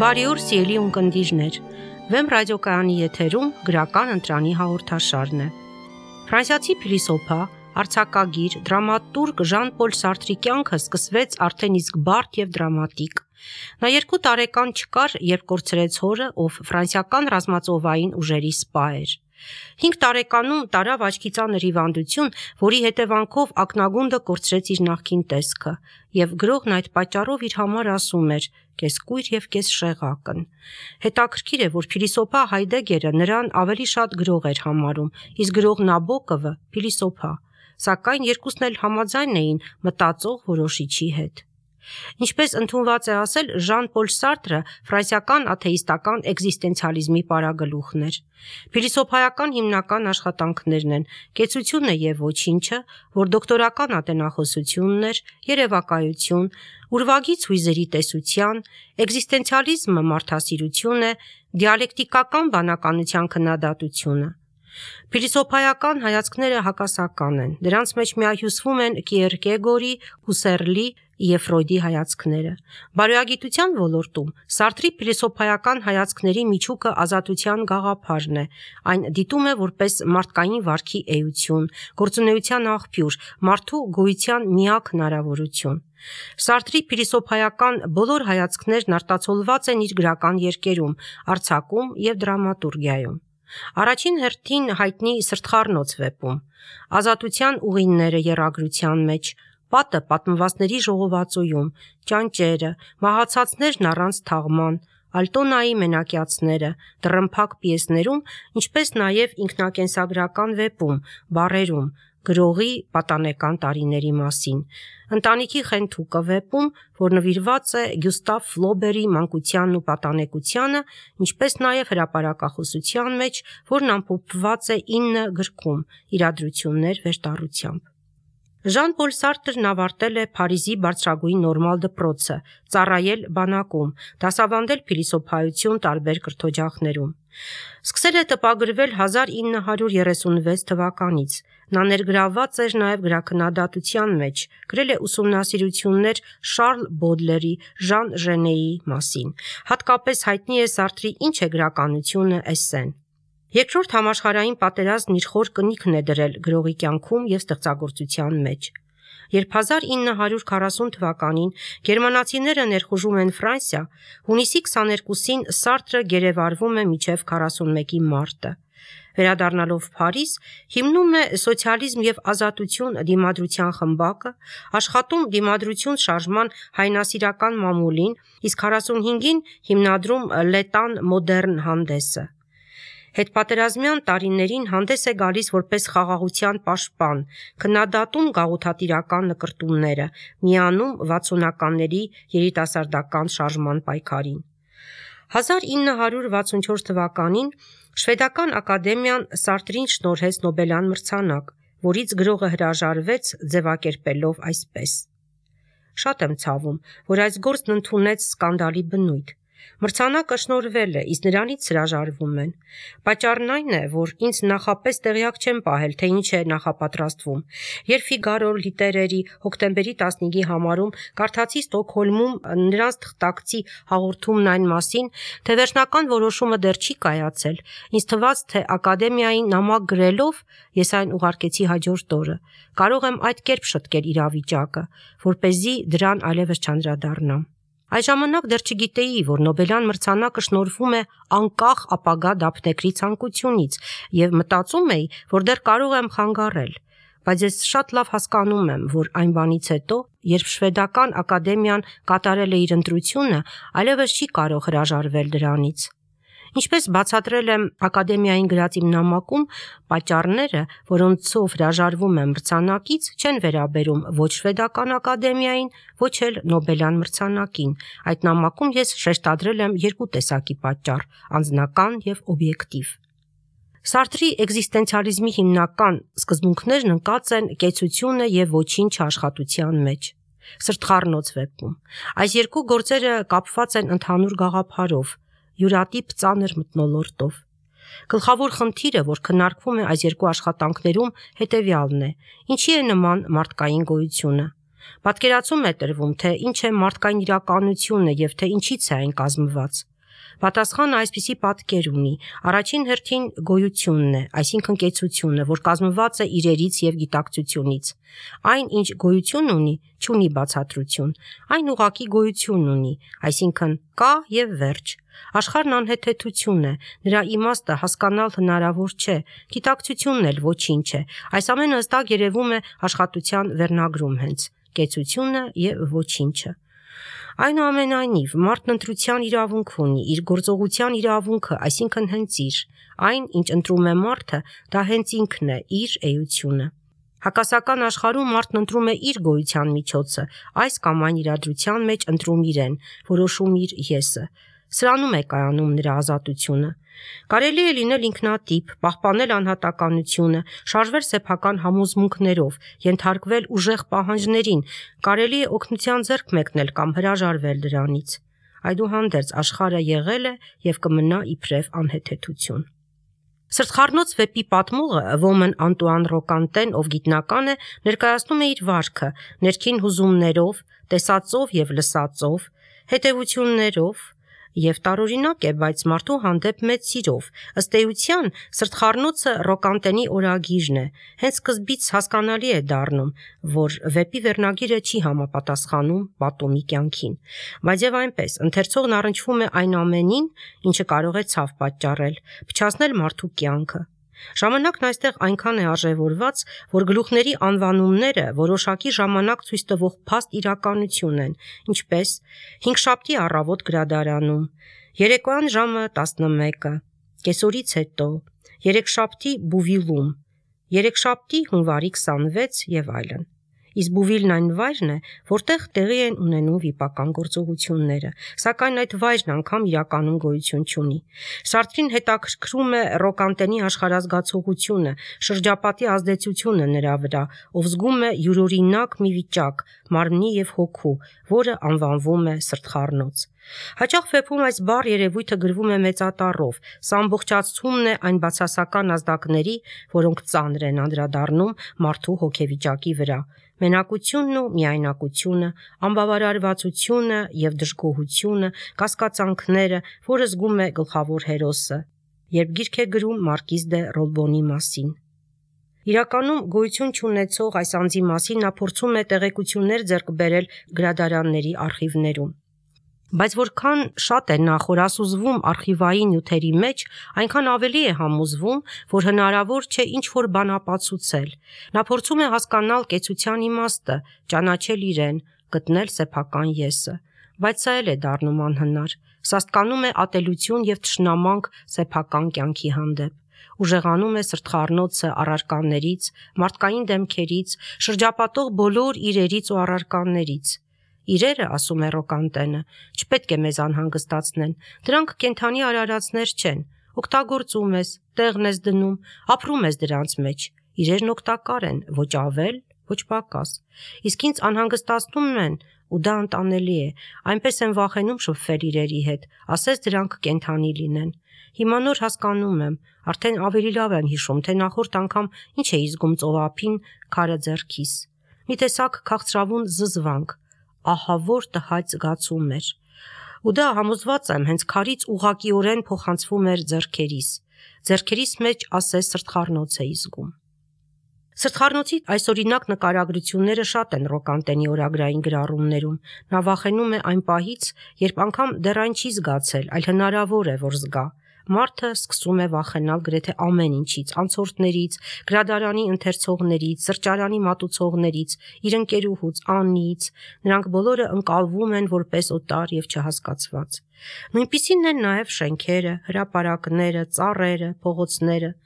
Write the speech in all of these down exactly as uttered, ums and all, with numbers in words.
Բարի օր, սիրելի ունկնդիրներ։ Վեմ ռադիոկայանի եթերում գրական ընտրանի հաղորդաշարն է։ Ֆրանսիացի փիլիսոփա, արձակագիր, դրամատուրգ Ժան-Պոլ Սարտրի կյանքը սկսվեց արդեն իսկ բարդ եւ դրամատիկ։ Նա երկու տարեկան չկար, երբ կորցրեց հորը, ով ֆրանսիական ռազմածովային ուժերի սպա էր։ Հինգ տարեկանում տարավ աչքի ծանր հիվանդություն, որի հետևանքով ակնագունդը կորցրեց իր նախկին տեսքը, եւ գրողն այդ պատճառով իր համար ասում էր. «Կես կույր եւ կես շեղակն»։ Հետաքրքիր է, որ փիլիսոփա Հայդեգերը նրան ավելի շատ գրող էր համարում, իսկ գրող Նաբոկովը փիլիսոփա, սակայն երկուսն էլ համաձայն էին մտածող որոշիչի հետ։ Ինչպես ընդունված է ասել, Ժան-Պոլ Սարտրը ֆրանսիական աթեիստական էգզիստենցիալիզմի պարագլուխն էր։ Փիլիսոփայական հիմնական աշխատանքներն են «Կեցությունը եւ ոչինչը», որ դոկտորական ատենախոսությունն էր, երևակայություն, ուրվագից հույզերի տեսության, էգզիստենցիալիզմը մարդասիրություն է, դիալեկտիկական բանականության քննադատությունը։ Փիլիսոփայական հայացքները հակասական են, դրանց մեջ միահյուսվում են Կիերկեգորի, Հուսերլի և Ֆրոյդի հայացքները։ Բարոյագիտության ոլորտում Սարտրի փիլիսոփայական հայացքների միջուկը ազատության գաղափարն է, այն դիտում է որպես մարդկային վարքի էություն, գործունեության աղբյուր, մարդու գոյության միակ հնարավորություն։ Սարտրի փիլիսոփայական բոլոր հայացքներն արտացոլված են իր գրական երկերում, արձակում և դրամատուրգիայում։ Առաջին հերթին հայտնի Սրտխառնոց վեպում, Ազատության ուղիները եռագրության մեջ, Պատը պատմվածների ժողովածուում, Ճանճերը, Մահացածներն առանց թաղման, Ալտոնայի մենակյացները, Տռմփակ պիեսներում, ինչպես նաև ինքնակենսագրական վեպում, Բառերում, գրողի պատանեկան տարիների մասին, Ընտանիքի խենթուկը վեպում, որ նվիրված է Գյուստավ Ֆլոբերի մանկությանն ու պատանեկությանը, ինչպես նաև հրապարակախոսության մեջ, որն ամփոփված է ինը գրքում, Իրադրություններ վերտառությամբ։ Ժան-Պոլ Սարտրն ավարտել է Փարիզի բարձրագույն նորմալ դպրոցը, ծառայել բանակում, դասավանդել փիլիսոփայություն տարբեր կրթօջախներում։ Սկսել է տպագրվել հազար ինը հարյուր երեսունվեց թվականից։ Նա ներգրավված էր նաև գրաքննադատության մեջ, գրել է ուսումնասիրություններ Շարլ Բոդլերի, Ժան Ժենեի մասին։ Հատկապես հայտնի է Սարտրի «Ինչ է գրականությունը» էսսեն։ Երկրորդ համաշխարհային պատերազմն իր խոր կնիքն է դրել գրողի կյանքում և ստեղծագործության մեջ։ Երբ հազար ինը հարյուր քառասուն թվականին գերմանացիները ներխուժում են Ֆրանսիա, հունիսի քսաներկուսին Սարտրը գերեվարվում է մինչև քառասունմեկի մարտը։ Վերադառնալով Փարիզ, հիմնում է «Սոցիալիզմ և ազատություն» դիմադրության խմբակը, աշխատում «Դիմադրություն» շարժման հայրենասիրական մամուլին, իսկ քառասունհինգին հիմնադրում «Լետան մոդեռն» հանդեսը։ Հետպատերազմյան տարիներին հանդես է գալիս որպես խաղաղության պաշտպան, քննադատում գաղութատիրական նկրտումները, միանում վաթսունականների երիտասարդական շարժման պայքարին։ հազար ինը հարյուր վաթսունչորս թվականին Շվեդական ակադեմիան Սարտրին շնորհեց Նոբելյան մրցանակ, որից գրողը հրաժարվեց ձևակերպելով այսպես. «Շատ եմ ցավում, որ այս գործն ընդունեց սկանդալի բնույթ։ Մրցանակը շնորհվել է, իսկ նրանից հրաժարվում են։ Պատճառն այն է, որ ինձ նախապես տեղյակ չեմ պահել, թե ինչ է նախապատրաստվում։ Երբ Ֆիգարո լիտերերի հոկտեմբերի տասնհինգի համարում կարդացի Ստոկհոլմում նրանց թղթակցի հաղորդումն այն մասին, թե վերջնական որոշումը դեռ չի կայացել, ինձ թվաց, թե ակադեմիային նամակ գրելով, ես այն ուղարկեցի հաջորդ օրը, կարող եմ այդ կերպ շտկել իրավիճակը, որպեսզի դրան այլևս չանդրադառնամ։ Այդ ժամանակ դեռ չգիտեի, որ Նոբելյան մրցանակը շնորհվում է անկախ ապագա դափնեկրի ցանկությունից և մտածում էի, որ դեռ կարող եմ խանգարել, բայց ես շատ լավ հասկանում եմ, որ այն բանից հետո, երբ Շվեդական ակադեմիան կատարել է իր ընտրությունը, այլևս չի կարող հրաժարվել դրանից։ Ինչպես բացատրել եմ ակադեմիային գրած իմ նամակում, պատճառները, որոնցով հրաժարվում եմ մրցանակից, չեն վերաբերում ոչ Շվեդական ակադեմիային, ոչ էլ Նոբելյան մրցանակին։ Այդ նամակում ես շեշտադրել եմ երկու տեսակի պատճառ՝ անձնական և օբյեկտիվ։ Սարտրի էգզիստենցիալիզմի հիմնական սկզբունքներն ընկած են «Կեցությունը և ոչինչը» աշխատության մեջ, Սրտխառնոց վեպում։ Այս երկու գործերը կապված են ընդհանուր գաղափարով, յուրատիպ ծանր մթնոլորտով։ Գլխավոր խնդիրը, որ քննարկվում է այս երկու աշխատանքներում, հետևյալն է. ինչի է նման մարդկային գոյությունը։ Պատկերացում է տրվում, թե ինչ է մարդկային իրականությունը և թե ինչից է այն կազմված։ Պատասխանը այսպիսի պատկեր ունի. առաջին հերթին գոյությունն է, այսինքն կեցությունը, որ կազմված է իրերից եւ գիտակցությունից։ Այն, ինչ գոյություն ունի, չունի բացատրություն, այն ուղղակի գոյություն ունի, այսինքն կա եւ վերջ։ Աշխարհն անհեթեթություն է, նրա իմաստը հասկանալ հնարավոր չէ, գիտակցությունն էլ ոչինչ է։ Այս ամենը հստակ երևում է աշխատության վերնագրում հենց՝ կեցությունը եւ ոչինչը։ Այնուամենայնիվ, մարդն ընտրության իրավունք ունի, իր գործողության իրավունքը, այսինքն հենց իր, այն, ինչ ընտրում է մարդը, դա հենց ինքն է, իր էությունը։ Հակասական աշխարհում մարդն ընտրում է իր գոյության միջոցը, այս կամ այն իրադրության մեջ ընտրում իրեն, որոշում իր եսը։ Սրանում է կայանում նրա ազատությունը։ Կարելի է լինել ինքնատիպ, պահպանել անհատականությունը, շարժվել սեփական համոզմունքներով, ենթարկվել ուժեղ պահանջներին, կարելի է օգնության ձեռք մեկնել կամ հրաժարվել դրանից։ Այդուհանդերձ աշխարհը եղել է եւ կմնա իբրև անհեթեթություն։ Սրտխառնոց վեպի պատմողը Ոմն Անտուան Ռոկանտեն, ով գիտնական է, ներկայացնում է իր վարքը ներքին հուզումներով, տեսածով եւ լսածով, հետևություններով եւ տարօրինակ է, բայց մարդու հանդեպ մեծ սիրով։ Ըստ էության, սրտխառնոցը Ռոկանտենի օրագիրն է։ Հենց սկզբից հասկանալի է դառնում, որ վեպի վերնագիրը չի համապատասխանում պատումի կյանքին։ Բայց եւ այնպես, ընթերցողն առնչվում է այն ամենին, ինչը կարող է ցավ պատճառել, փչացնել մարդու կյանքը։ Ժամանակն այստեղ այնքան է արժևորված, որ գլուխների անվանումները որոշակի ժամանակ ցույց տվող փաստ իրականություն են, ինչպես հինգշաբթի առավոտ գրադարանում, երեկոյան ժամը տասնմեկը, կեսօրից հետո, երեքշաբթի Բուվիլում, երեքշաբթի հունվարի քսանվեց եւ այլն։ Իսկ Բուվիլն այն վայրն է, որտեղ տեղի են ունենում վիպական գործողությունները, սակայն այդ վայրն անգամ իրականում գոյություն չունի։ Սարտրին հետաքրքրում է Ռոկանտենի աշխարհազգացողությունը, շրջապատի ազդեցությունը նրա վրա, ով զգում է յուրօրինակ մի վիճակ, մարմնի եւ հոգու, որը անվանվում է սրտխառնոց։ Հաճախ վեպում այս բառ երևույթը գրվում է մեծատառով, սա ամբողջացումն է այն բացասական ազդակների, որոնք ծանր են անդրադառնում մարդու հոգեվիճակի վրա։ Մենակությունն ու միայնակությունը, անբավարարվածությունը եւ դժգոհությունը, կասկածանքները, որը զգում է գլխավոր հերոսը, երբ գիրք է գրում Մարկիզ դե Ռոլբոնի մասին։ Իրականում գոյություն չունեցող այս անձի մասին նա փորձում է տեղեկություններ ձեռք բերել գրադարանների արխիվներում։ Բայց որքան շատ է նա խորասուզվում արխիվային նյութերի մեջ, այնքան ավելի է համոզվում, որ հնարավոր չէ ինչ-որ բան ապացուցել։ Նա փորձում է հասկանալ կեցության իմաստը, ճանաչել իրեն, գտնել սեփական եսը։ Բայց սա էլ է դառնում անհնար։ Սաստկանում է ատելություն եւ թշնամանք սեփական կյանքի հանդեպ։ Ուժեղանում է սրտխառնոցը առարկաներից, մարդկային դեմքերից, շրջապատող բոլոր իրերից ու առարկաներից։ Իրերը, ասում է Ռոկանտենը, չպետք է մեզ անհանգստացնեն, դրանք կենդանի արարածներ չեն, օգտագործում ես, տեղն ես դնում, ապրում ես դրանց մեջ, իրերն օգտակար են, ոչ ավել, ոչ պակաս, իսկ ինձ անհանգստացնում են, ու դա անտանելի է, այնպես եմ վախենում շփվել իրերի հետ, ասես դրանք կենդանի լինեն։ Հիմա նոր հասկանում եմ, արդեն ավելի լավ եմ հիշում, թե նախորդ անգամ ինչ էի զգում ծովափին քարը ձեռքիս։ Մի տեսակ քաղցրավուն զզվանք, ահավոր տհաճ զգացում էր։ Ու դա համոզված եմ, հենց քարից ուղղակիորեն փոխանցվում էր ձեռքերիս։ Ձեռքերիս մեջ ասես սրտխառնոց էի զգում։ Սրտխառնոցի այսօրինակ նկարագրությունները շատ են Ռոկանտենի օրագրային գրառումներում։ Նա վախենում է այն պահից, երբ անգամ դեռ այն չի զգացել, այլ հնարավոր է, որ զգա։ Մարդը սկսում է վախենալ գրեթե ամեն ինչից, անցորդներից, գրադարանի ընթերցողներից, սրճարանի մատուցողներից, իր ընկերուհուց, Աննիից։ Նրանք բոլորը ընկալվում են որպես օտար եւ չհասկացված։ Նույնպիսին են նաեւ շենքերը, հրապարակները, ծառերը, փողոցները։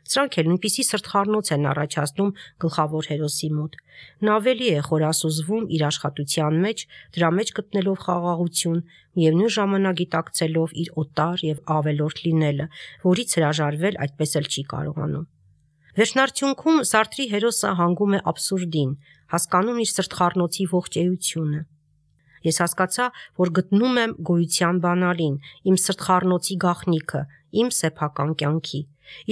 Սրանք էլ նույնպիսի սրտխառնոց են առաջացնում գլխավոր հերոսի մոտ։ Նա ավելի է խորասուզվում իր աշխատության մեջ, դրա մեջ գտնելով խաղաղություն, միևնույն ժամանակ գիտակցելով իր օտար եւ ավելորդ լինելը, որից հրաժարվել այդպես էլ չի կարողանում։ Վերջնարդյունքում Սարտրի հերոսը հանգում է աբսուրդին, հասկանում իր սրտխառնոցի ողջ էությունը։ Ես հասկացա, որ գտնում եմ գոյության բանալին, իմ սրտխառնոցի գաղտնիքը, իմ սեփական կյանքի։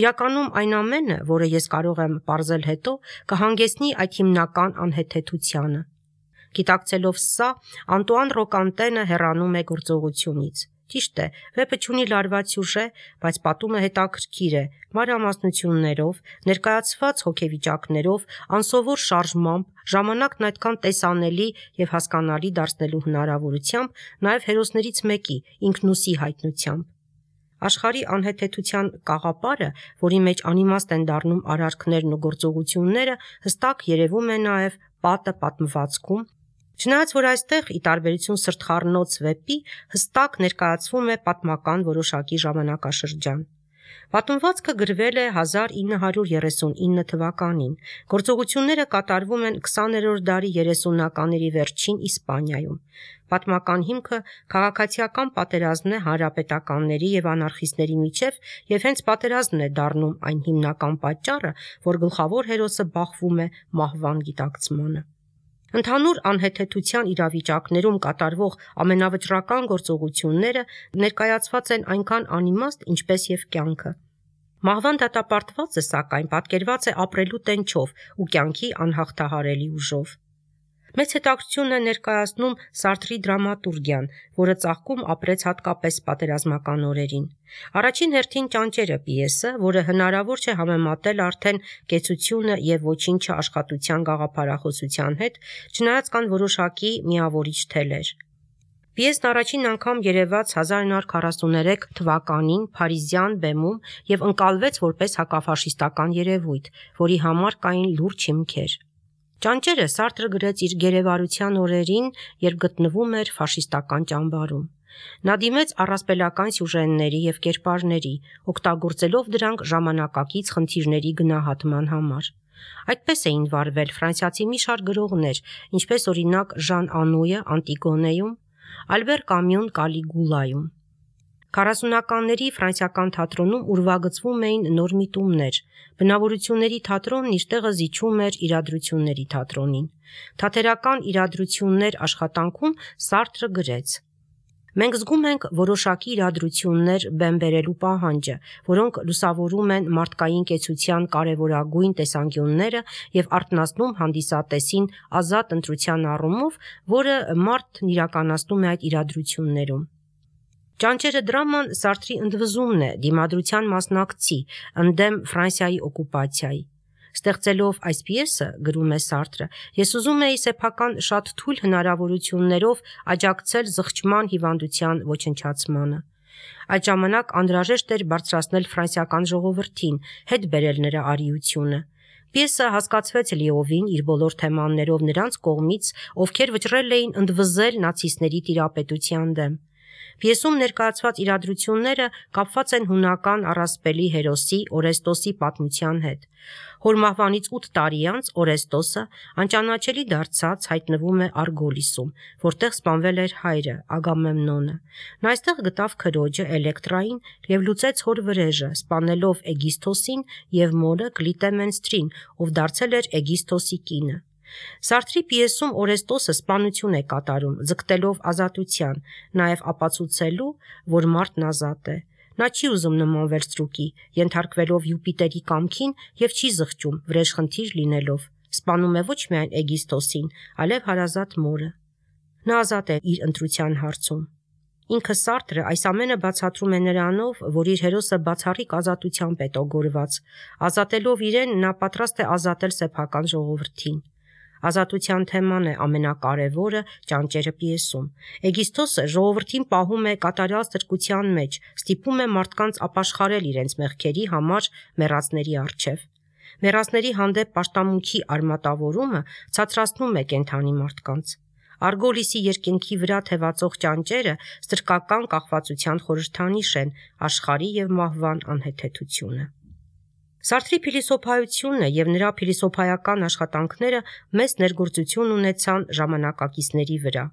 Իրականում այն ամենը, որը ես կարող եմ պարզել հետո, կհանգեցնի այդ հիմնական անհեթեթությանը։ Գիտակցելով սա, Անտուան Ռոկանտենը հեռանում է գործողությունից։ Ճիշտ է, վեպը չունի լարված սյուժե, բայց պատումը հետաքրքիր է, մանրամասնություններով, ներկայացված հոգեվիճակներով, անսովոր շարժմամբ, ժամանակն այդքան տեսանելի եւ հասկանալի դարձնելու հնարավորությամբ, նաեւ հերոսներից մեկի՝ ինքնուսի հայտնությամբ։ Աշխարհի անհեթեթության կաղապարը, որի մեջ անիմաստ են դառնում արարքներն ու գործողությունները, հստակ երևում է նաև պատը պատմվածքում, չնայած որ այստեղ, ի տարբերություն սրտխառնոց վեպի, հստակ ներկայացվում է պատմական որոշակի ժամանակաշրջան։ Պատմվածքը գրվել է հազար ինը հարյուր երեսունինը թվականին, գործողությունները կատարվում են քսաներորդ դարի երեսունականների վերջին Իսպանիայում։ Պատմական հիմքը քաղաքացիական պատերազմն է հանրապետականների եւ անարխիստների միջև, եւ հենց պատերազմն է դառնում այն հիմնական պատճառը, որ գլխավոր հերոսը բախվում է մահվան գիտակցմանը։ Ընդհանուր անհեթեթության իրավիճակներում կատարվող ամենավճռական գործողությունները ներկայացված են այնքան անիմաստ, ինչպես եւ կյանքը։ Մահվան դատապարտվածը, սակայն, պատկերված է ապրելու տենչով ու կյանքի անհաղթահարելի ուժով։ Մեծ հետաքրքրություն է ներկայացնում Սարտրի դրամատուրգիան, որը ծաղկում ապրեց հատկապես պատերազմական օրերին։ Առաջին հերթին Ճանճերը պիեսը, որը հնարավոր չէ համեմատել արդեն Կեցությունը եւ Ոչինչը աշխատության գաղափարախոսության հետ, չնայած կան որոշակի միավորիչ թելեր։ Պիեսն առաջին անգամ երևաց հազար ինը հարյուր քառասուներեք թվականին Փարիզյան բեմում եւ ընկալվեց որպես հակաֆաշիստական երևույթ, որի համար կային լուրջ հիմքեր։ Ճանճերը Սարտրը գրեց իր գերեվարության օրերին, երբ գտնվում էր ֆաշիստական ճամբարում։ Նա դիմեց առասպելական սյուժեների եւ կերպարների, օգտագործելով դրանք ժամանակակից խնդիրների գնահատման համար։ Այդպես էին վարվել ֆրանսիացի մի շարք գրողներ, ինչպես օրինակ Ժան Անույը Անտիգոնեում, Ալբեր Կամյուն Կալիգուլայում։ Քառասունականների ֆրանսիական թատրոնում ուրվագծվում էին նոր միտումներ։ Բնավորությունների թատրոնն իր տեղը զիջում էր իրադրությունների թատրոնին։ Թատերական իրադրություններ աշխատանքում Սարտրը գրեց. Մենք զգում ենք որոշակի իրադրություններ բեմ բերելու պահանջը, որոնք լուսավորում են մարդկային կեցության կարևորագույն տեսանկյունները եւ արթնացնում հանդիսատեսին ազատ ընտրության առումով, որը մարդն իրականացնում է այդ իրադրություններում։ Ճանճերը դրաման Սարտրի ընդվզումն է դիմադրության մասնակցի ընդդեմ Ֆրանսիայի օկուպացիայի։ Ստեղծելով այս պիեսը, գրում է Սարտրը, ես ուզում էի սեփական շատ թույլ հնարավորություններով աջակցել զղջման հիվանդության ոչնչացմանը։ Այդ ժամանակ անհրաժեշտ էր բարձրացնել ֆրանսիական ժողովրդին, հետ բերել նրա արիությունը։ Պիեսը հասկացվեց լիովին իր բոլոր թեմաներով նրանց կողմից, ովքեր վճռել էին ընդվզել նացիստների տիրապետության դեմ։ Պիեսում ներկայացված իրադրությունները կապված են հունական առասպելի հերոսի Օրեստոսի պատմության հետ։ Հոր մահվանից ութ տարի անց Օրեստոսը անճանաչելի դարձած հայտնվում է Արգոլիսում, որտեղ սպանվել էր հայրը Ագամեմնոնը։ Նա այստեղ գտավ քրոջը Էլեկտրային եւ լուծեց հոր վրեժը, սպանելով Էգիսթոսին եւ մորը Կլիտեմենստրին, ով դարձել էր Էգիսթոսի կինը։ Սարտրի պիեսում Օրեստոսը սպանություն է կատարում, ձգտելով ազատության, նաև ապացուցելու, որ մարդն ազատ է։ Նա չի ուզում նմանվել ստրուկի, ենթարկվելով Յուպիտերի կամքին եւ չի զղջում, վրեժխնդիր լինելով։ Սպանում է ոչ միայն Էգիսթոսին, այլև հարազատ մորը։ Նա ազատ է իր ընտրության հարցում։ Ինքը Սարտրը այս ամենը բացատրում է նրանով, որ իր հերոսը բացառիկ ազատությամբ է տոգորված։ Ազատելով իրեն, նա պատրաստ է ազատել սեփական ժողովրդին։ Ազատության թեման է ամենակարևորը Ճանճերը պիեսում։ Էգիսթոսը ժողովրդին պահում է կատարյալ ստրկության մեջ, ստիպում է մարդկանց ապաշխարել իրենց մեղքերի համար մեռածների առջև։ Մեռածների հանդեպ պաշտամունքի արմատավորումը ցածրացնում է կենդանի մարդկանց։ Արգոլիսի երկինքի վրա թևածող ճանճերը ստրկական կախվածության խորհրդանիշ են, աշխարհի եւ մահվան անհեթեթությունը։ Սարտրի փիլիսոփայությունը եւ նրա փիլիսոփայական աշխատանքները մեծ ներգործություն ունեցան ժամանակակիցների վրա։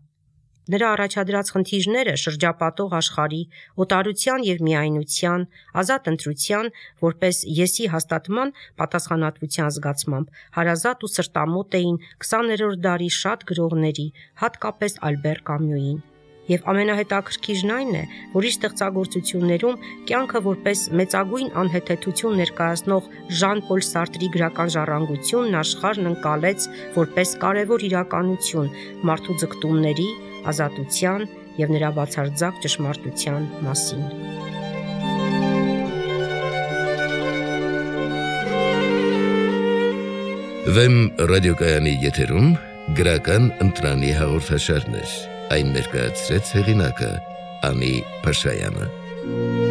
Նրա առաջադրած խնդիրները շրջապատող աշխարհի, օտարության եւ միայնության, ազատ ընտրության, որպես եսի հաստատման պատասխանատվության զգացմամբ հարազատ ու սրտամոտ էին քսաներորդ դարի շատ գրողների, հատկապես Ալբեր Կամյուին։ Եվ ամենահետաքրքիրն այն է, որ իր ստեղծագործություններում կյանքը որպես մեծագույն անհեթեթություն ներկայացնող Ժան Պոլ Սարտրի գրական ժառանգությունն աշխարհն ընկալեց որպես կարևոր իրականություն մարդու ձգտումների, ազատության և նրա բացարձակ ճշմարտության մասին։ Վեմ ռադիոկայանի եթերում գրական ընտրանի հաղորդաշարներ, այն ներկայացրեց հեղինակը Անի Փաշայանը։